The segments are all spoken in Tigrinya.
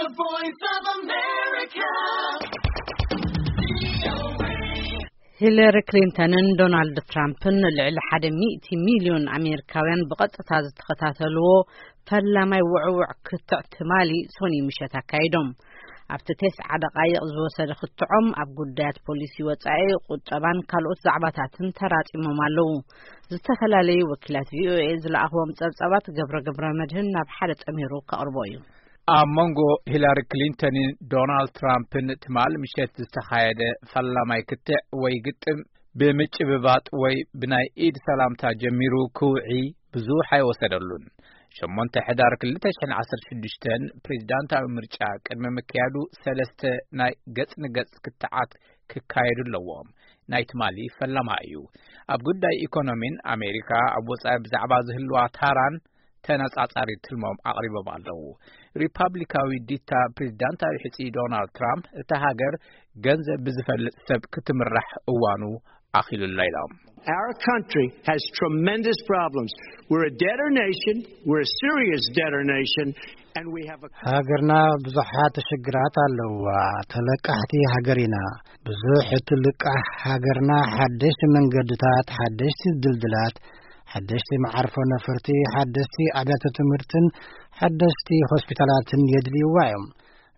The Voice of America. ሂለሪ ክሊንተንን ዶናልድ ትራምፕን ልዕሊ ሓደ ሚእቲ ሚልዮን ኣሜሪካውያን ብቐጥታ ዝተኸታተልዎ ፈላማይ ውዕውዕ ክትዕ ትማሊ ሶኒ ምሸት ኣካይዶም። ኣብቲ ቴስዓ ደቓይቕ ዝወሰደ ክትዖም ኣብ ጉዳያት ፖሊሲ ወጻኢ፣ ቁጠባን ካልኦት ዛዕባታትን ተራጺሞም ኣለዉ። ዝተፈላለዩ ወኪላት ቪኦኤ ዝለኣኽዎም ጸብጻባት ገብረ ገብረ መድህን ናብ ሓደ ጠሚሩ ከቕርቦ እዩ። ኣብ መንጎ ሂላሪ ክሊንተንን ዶናልድ ትራምፕን ትማል ምሸት ዝተኻየደ ፈላማይ ክትዕ ወይ ግጥም ብምጭብባጥ ወይ ብናይ ኢድ ሰላምታ ጀሚሩ ክውዒ ብዙሕ ኣይወሰደሉን። ሸሞንተ ሕዳር ክልተ ሽሕን ዓሰርተ ሽዱሽተን ፕሬዚዳንታዊ ምርጫ ቅድሚ ምክያዱ ሰለስተ ናይ ገጽ ንገጽ ክትዓት ክካየዱ ኣለዎም። ናይ ትማሊ ፈላማ እዩ። ኣብ ጉዳይ ኢኮኖሚን ኣሜሪካ ኣብ ወጻኢ ብዛዕባ ዝህልዋ ታራን ተነጻጻሪ ትልሞም ኣቕሪቦም ኣለዉ። ሪፓብሊካዊ ዲታ ፕሬዚዳንታዊ ሕጺ ዶናልድ ትራምፕ እታ ሃገር ገንዘብ ብዝፈልጥ ሰብ ክትምራሕ እዋኑ ኣኺሉላ ኢሎም። Our country has tremendous problems. We're a debtor nation. We're a serious debtor nation. And we have a ሃገርና ብዙሓት ሽግራት ኣለዋ። ተለቃሕቲ ሃገር ኢና። ብዙሕ እቲ ልቃሕ ሃገርና ሓደሽቲ መንገድታት፣ ሓደሽቲ ድልድላት፣ ሓደሽቲ መዓርፎ ነፈርቲ፣ ሓደሽቲ ኣብያተ ትምህርትን ሓደሽቲ ሆስፒታላትን የድልይዋ እዮም።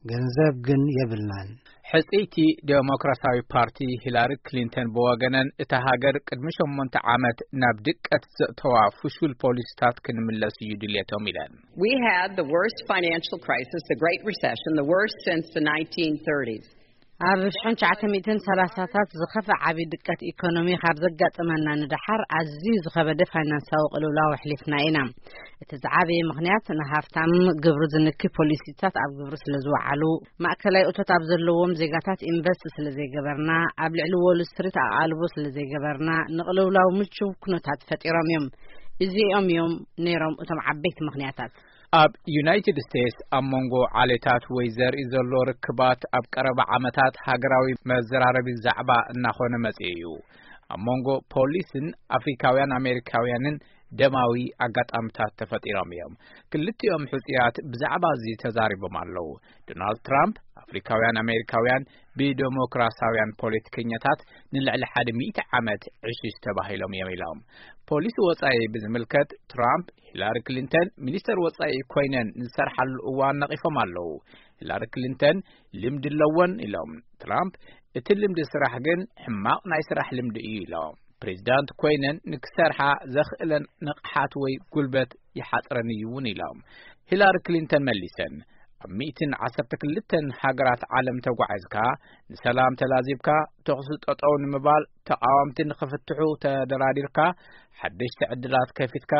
ገንዘብ ግን የብልናን። ሕጽይቲ ዴሞክራሲያዊ ፓርቲ ሂላሪ ክሊንተን ብወገነን እታ ሃገር ቅድሚ ሸሞንተ ዓመት ናብ ድቀት ዘእተዋ ፍሹል ፖሊሲታት ክንምለስ እዩ ድልየቶም ኢለን። We had the worst financial crisis, the Great Recession, the worst since the nineteen thirties. ኣብ ሽሕን ትሽዓተ ሚእትን ሰላሳታት ዝኸፍአ ዓቢ ድቀት ኢኮኖሚ ካብ ዘጋጠመና ንደሓር ኣዝዩ ዝኸበደ ፋይናንሳዊ ቅልውላው ኣሕሊፍና ኢና። እቲ ዝዓበየ ምኽንያት ንሃፍታም ግብሪ ዝንኪ ፖሊሲታት ኣብ ግብሪ ስለ ዝወዓሉ፣ ማእከላይ እቶት ኣብ ዘለዎም ዜጋታት ኢንቨስት ስለ ዘይገበርና፣ ኣብ ልዕሊ ዎል ስትሪት ኣቓልቦ ስለ ዘይገበርና፣ ንቅልውላው ምቹው ኩነታት ፈጢሮም እዮም። እዚኦም እዮም ነይሮም እቶም ዓበይቲ ምኽንያታት። ኣብ ዩናይትድ ስቴትስ ኣብ መንጎ ዓሌታት ወይ ዘርኢ ዘሎ ርክባት ኣብ ቀረባ ዓመታት ሃገራዊ መዘራረቢ ዛዕባ እናኾነ መጺኡ እዩ። ኣብ መንጎ ፖሊስን ኣፍሪካውያን ኣሜሪካውያንን ደማዊ ኣጋጣሚታት ተፈጢሮም እዮም። ክልቲኦም ሕጹያት ብዛዕባ እዚ ተዛሪቦም ኣለዉ። ዶናልድ ትራምፕ ኣፍሪካውያን ኣሜሪካውያን ብዴሞክራሲያውያን ፖለቲከኛታት ንልዕሊ ሓደ ሚእቲ ዓመት ዕሽሽ ተባሂሎም እዮም ኢሎም። ፖሊሲ ወጻኢ ብዝምልከት ትራምፕ ሂላሪ ክሊንተን ሚኒስተር ወጻኢ ኮይነን ዝሰርሓሉ እዋን ነቒፎም ኣለዉ። ሂላሪ ክሊንተን ልምዲ ኣለወን ኢሎም። ትራምፕ እቲ ልምዲ ስራሕ ግን ሕማቕ ናይ ስራሕ ልምዲ እዩ ኢሎም። ፕሬዚዳንት ኮይነን ንክሰርሓ ዘኽእለን ንቕሓት ወይ ጉልበት ይሓጽረን እዩ እውን ኢሎም። ሂላሪ ክሊንተን መሊሰን ኣብ ሚእትን ዓሰርተ ክልተን ሃገራት ዓለም ተጓዒዝካ፣ ንሰላም ተላዚብካ፣ ተኹሲ ጠጠው ንምባል፣ ተቓወምቲ ንኽፍትሑ ተደራዲርካ፣ ሓደሽቲ ዕድላት ከፊትካ፣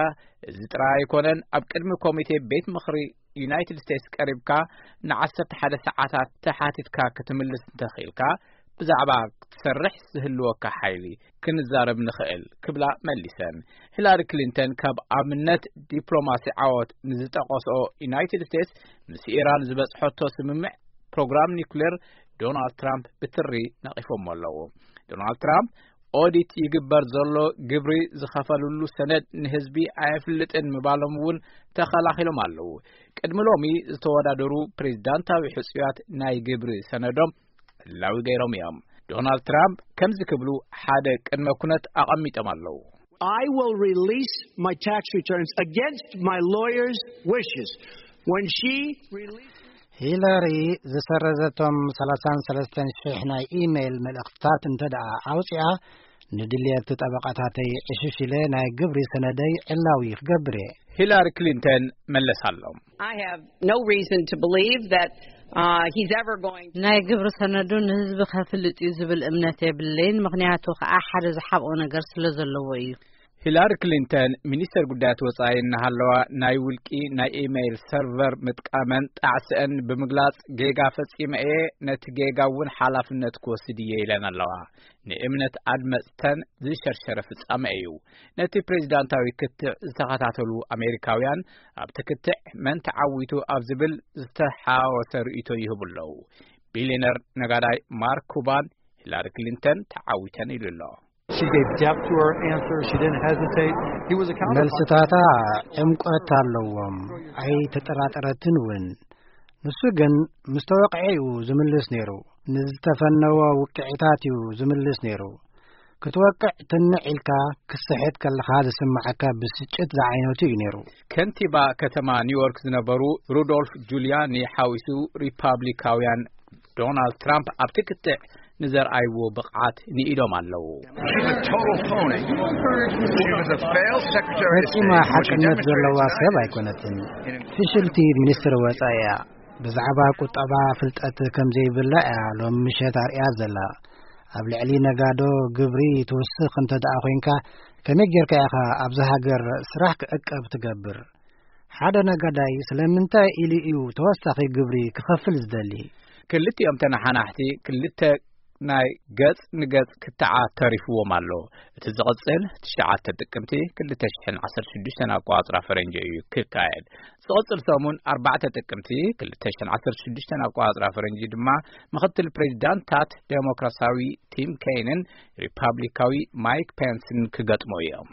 እዚ ጥራይ ኣይኮነን፣ ኣብ ቅድሚ ኮሚቴ ቤት ምኽሪ ዩናይትድ ስቴትስ ቀሪብካ ንዓሰርተ ሓደ ሰዓታት ተሓቲትካ ክትምልስ እንተኽኢልካ፣ ብዛዕባ ክትሰርሕ ዝህልወካ ሓይሊ ክንዛረብ ንኽእል ክብላ መሊሰን። ሂላሪ ክሊንተን ካብ ኣብነት ዲፕሎማሲ ዓወት ንዝጠቐስኦ ዩናይትድ ስቴትስ ምስ ኢራን ዝበጽሐቶ ስምምዕ ፕሮግራም ኒውክሌር ዶናልድ ትራምፕ ብትሪ ነቒፎሞ ኣለዉ። ዶናልድ ትራምፕ ኦዲት ይግበር ዘሎ ግብሪ ዝኸፈልሉ ሰነድ ንህዝቢ ኣየፍልጥን ምባሎም እውን ተኸላኺሎም ኣለዉ። ቅድሚ ሎሚ ዝተወዳደሩ ፕሬዚዳንታዊ ሕጹያት ናይ ግብሪ ሰነዶም ዕላዊ ገይሮም እዮም። ዶናልድ ትራምፕ ከምዚ ክብሉ ሓደ ቅድመ ኩነት ኣቐሚጦም ኣለዉ። I will release my tax returns against my lawyer's wishes. When she releases ሂለሪ ዝሰረዘቶም ሰላሳን ሰለስተን ሽሕ ናይ ኢሜይል መልእኽትታት እንተ ደኣ ኣውፅኣ፣ ንድልየት ጠበቓታተይ ዕሽሽ ኢለ ናይ ግብሪ ሰነደይ ዕላዊ ክገብር እየ። ሂላሪ ክሊንተን መለሳሎም። I have no reason to believe that uh, he's ever going to ናይ ግብሪ ሰነዱ ንህዝቢ ከፍልጥ እዩ ዝብል እምነት የብለይን፣ ምኽንያቱ ከዓ ሓደ ዝሓብኦ ነገር ስለ ዘለዎ እዩ። ሂላሪ ክሊንተን ሚኒስተር ጉዳያት ወጻኢ እናሃለዋ ናይ ውልቂ ናይ ኢሜይል ሰርቨር ምጥቃመን ጣዕስአን ብምግላጽ ጌጋ ፈጺመ እየ፣ ነቲ ጌጋ እውን ሓላፍነት ክወስድ እየ ኢለን ኣለዋ። ንእምነት ኣድመጽተን ዝሸርሸረ ፍጻመ እዩ። ነቲ ፕሬዚዳንታዊ ክትዕ ዝተኸታተሉ ኣሜሪካውያን ኣብቲ ክትዕ መን ተዓዊቱ ኣብ ዝብል ዝተሓወሰ ርእይቶ ይህቡ ኣለዉ። ቢልዮነር ነጋዳይ ማርክ ኩባን ሂላሪ ክሊንተን ተዓዊተን ኢሉ ኣሎ። She gave depth to her answer. She didn't hesitate. He was accountable. መልስታታ ዕምቆት ኣለዎም፣ ኣይተጠራጠረትን እውን። ንሱ ግን ምስ ተወቅዐ እዩ ዝምልስ ነይሩ። ንዝተፈነወ ውቅዒታት እዩ ዝምልስ ነይሩ። ክትወቅዕ ትንዕ ኢልካ ክስሕት ከለኻ ዝስምዓካ ብስጭት ዝዓይነቱ እዩ ነይሩ። ከንቲባ ከተማ ኒውዮርክ ዝነበሩ ሩዶልፍ ጁልያኒ ሓዊሱ ሪፓብሊካውያን ዶናልድ ትራምፕ ኣብቲ ክትዕ ንዘርኣይዎ ብቕዓት ንኢዶም ኣለዉ። She's a total phony. She was a failed secretary of ፈጺማ State. What she ሓቅነት ዘለዋ demonstrated ሰብ tonight አይኮነትን። ፍሽልቲ ሚኒስትር ወጻኢ እያ። ብዛዕባ ቁጠባ ፍልጠት ከም ዘይብላ እያ ሎም ምሸት ኣርእያ ዘላ። ኣብ ልዕሊ ነጋዶ ግብሪ ትውስኽ እንተ ደኣ ኮይንካ፣ ከመይ ጌርካ ኢኻ ኣብዛ ሃገር ስራሕ ክዕቀብ ትገብር? ሓደ ነጋዳይ ስለምንታይ ኢሉ እዩ ተወሳኺ ግብሪ ክኸፍል ዝደሊ? ክልቲኦም ተነሓናሕቲ ክልተ ናይ ገጽ ንገጽ ክትዓት ተሪፍዎም ኣሎ። እቲ ዝቕጽል ትሽዓተ ጥቅምቲ ክልተ ሽሕን ዓሰርተ ሽዱሽተን ኣቆጻጽራ ፈረንጂ እዩ ክካየድ። ዝቕጽል ሰሙን ኣርባዕተ ጥቅምቲ ክልተ ሽሕን ዓሰርተ ሽዱሽተን ኣቆጻጽራ ፈረንጂ ድማ ምኽትል ፕሬዚዳንታት ዴሞክራሲያዊ ቲም ኬይንን ሪፓብሊካዊ ማይክ ፔንስን ክገጥሙ እዮም።